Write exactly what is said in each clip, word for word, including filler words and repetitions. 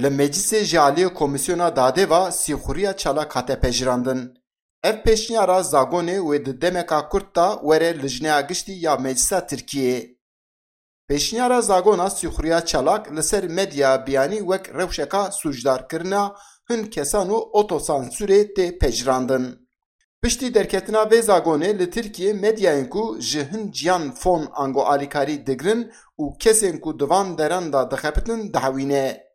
Li meclisê ji aliyê Komîsyona Dadê ve sîxuriya çalak hate pejirandin. Ev pêşniyara Zagonê wê di demeka kurt de were Lijneya Giştî ya Meclisa Tirkiyê. Pêşniyara Zagona sîxuriya çalak li ser medya biyanî wek rewşeka sûcdarkirina hin kesan û otosansûrê tê pejirandin. Piştî derketina vê zagonê li Tirkiyê medyayên ku ji hin ciyan fon ango alîkarî digirin û kesên ku di van deran de dixebitin dihewîne.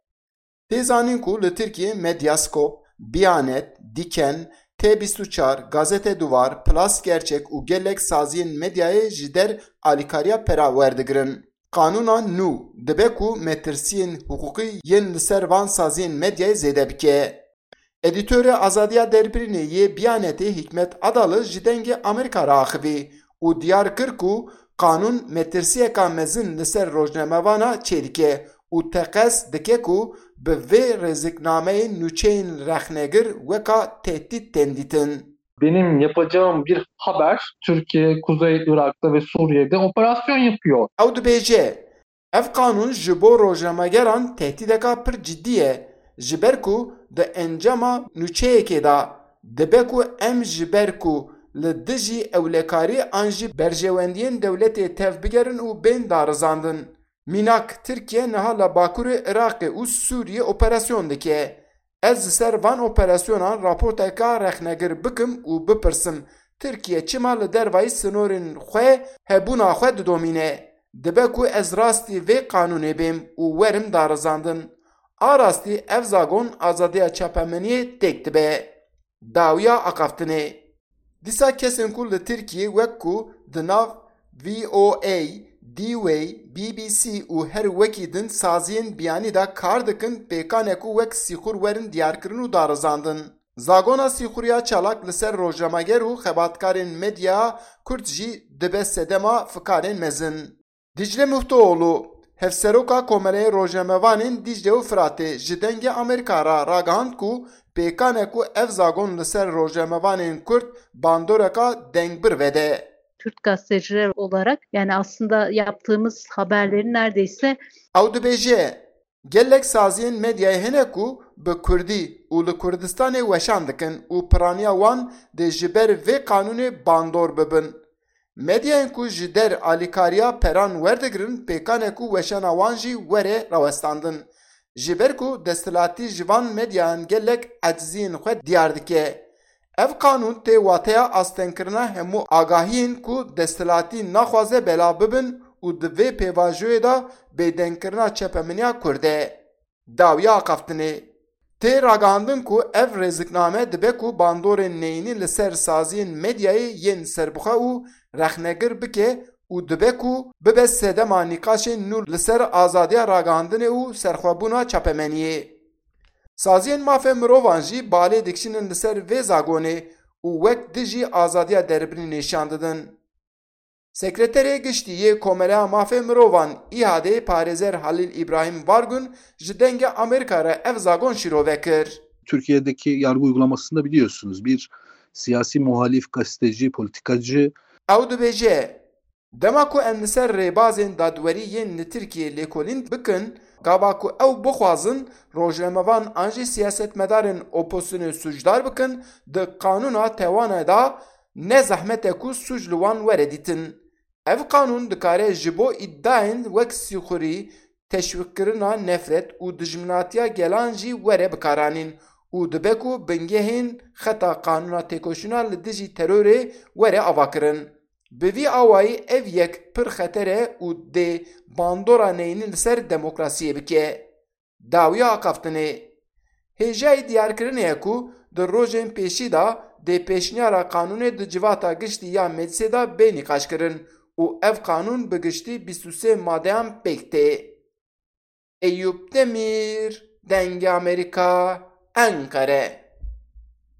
Tê zanîn ku li Tirkiyê Medyaskop, Biyanet, Diken, T bîst û çar, Gazete Duvar, Plus Gerçek û gelek saziyên medyayê ji der alîkariya pera werdigirin. Qanûna nû dibe ku metirsiyên hiqûqî yên li ser van saziyên medyayê zêde bike. Edîtorê Azadiya Derbirînê yê Biyanetê Hikmet Adalı ji Dengê Amerîka re axivî û diyar kir ku qanûn metirsiyeka mezin li ser rojnamevana çêdike û teqez dike ku bi vê rêziknameyê nûçeyên rexnegir weka tehdît tên dîtin. Benim yapacağım bir haber, Türkiye Kuzey Irak'ta ve Suriye'de operasyon yapıyor. Ew dibêje, ev qanûn ji bo rojnamegeran tehdîdeka pir cidî ye, ji ber ku di encama nûçeyekê de dibe ku em ji ber ku li dijî ewlekarî an jî berjewendiyên dewletê tev bigerin û bên darizandin. Mînak, Tirkiye niha li Bakurê Iraqê û Sûriyê operasyon dike. Ez li ser van operasyonan raporteka rexnegir bikim û bipirsim, Tirkiye çima li dervayî sinorên xwe hebûna xwe didomîne? Dibe ku ez rastî vê qanûnê bêm û werim darizandin. A rastî ev zagon azadiya çapemeniyê têk dibe. Dawiya axaftinê. Dîsa kesên ku li Tirkiyê wek ku di nav V O A, D-Way, B B C û her wekî din saziyên biyanî de kar dikin, pêkan e ku wek sîxur werin diyarkirin û darizandin. Zagona sîxuriya çalak li ser rojnameger û xebatkarên medya kurd jî dibe sedema fikarên mezin. Dicle Muftoğlu, Hevseroka Komeleyê Rojnamevanên Dicle û Firatê ji Dengê Amerîka re ragihand ku pêkan e ku ev zagon li ser rojnamevanên kurd bandoreka dengbir vede. Kürt gazeteciler olarak, yani aslında yaptığımız haberlerin neredeyse Ew dibêje, gelek saziyên medyayê hene ku bi kurdî û li Kurdistanê weşan dikin û piraniya wan dê ji ber vê qanûnê bandor bibin. Medyayên ku ji der alîkariya peran werdigirin, pêkan e ku weşana wan jî were rawestandin. Ji ber ku desthilatî ji van medyayan gelek eciziyên xwe diyar dike. Ev qanûn tê wateya astengkirina hemû agahiyên ku desthilatî naxwaze belav bibin û di vê pêvajoyê de bêdengkirina çepemeniya Kurd e. Dawiya axaftinê. Tê ragihandin ku ev rêzikname dibe ku bandorên neyînî li ser saziyên medyayê yên serbixwe û rexnegir bike û dibe ku bibe sedema nîqaşên nû li ser azadiya ragihandinê û serxwebûna çapemeniyê. Saziyên mafê mirovan jî balê dikişînin li ser vê zagonê û wek dijî azadiya derbirînê nîşan didin. Sekreterê Giştî yê Komeleya Mafê Mirovan, İHA'dê, parêzer Halil İbrahim Vargun ji Dengê Amerîka re ev zagon şîrove kir. Türkiye'deki yargı uygulamasında biliyorsunuz, bir siyasi muhalif, gazeteci, politikacı. Ew dibêje, dema ku em li ser rêbazên dadwerî yên li Tirkiyê lêkolîn bikin, gava ku ew bixwazin rojnamevan an jî siyasetmedarên opozisyonê sûcdar bikin, di qanûna tewana de ne zehmet e ku sûc li wan were dîtin. Ev qanûn dikare ji bo îdiayên wek sîxurî, teşwîqkirina nefret û dijminatiya gelan jî were bikaranîn û dibe ku bingehên xeta qanûna têkoşîna li dijî terorê were avakirin. Bi vî awayî ev yek pir xeter e û dê bandora neyînî li ser demokrasiyê bike. Dawiya axaftinê. Hêjayî diyarkirinê ye ku di rojên pêşî de dê pêşniyara qanûnê di civata giştî ya meclisê de bê nîqaşkirin û ev qanûn bi giştî bîst û sê madeyan pêk tê. Eyûp Demîr, Dengê Amerîka, Enqere.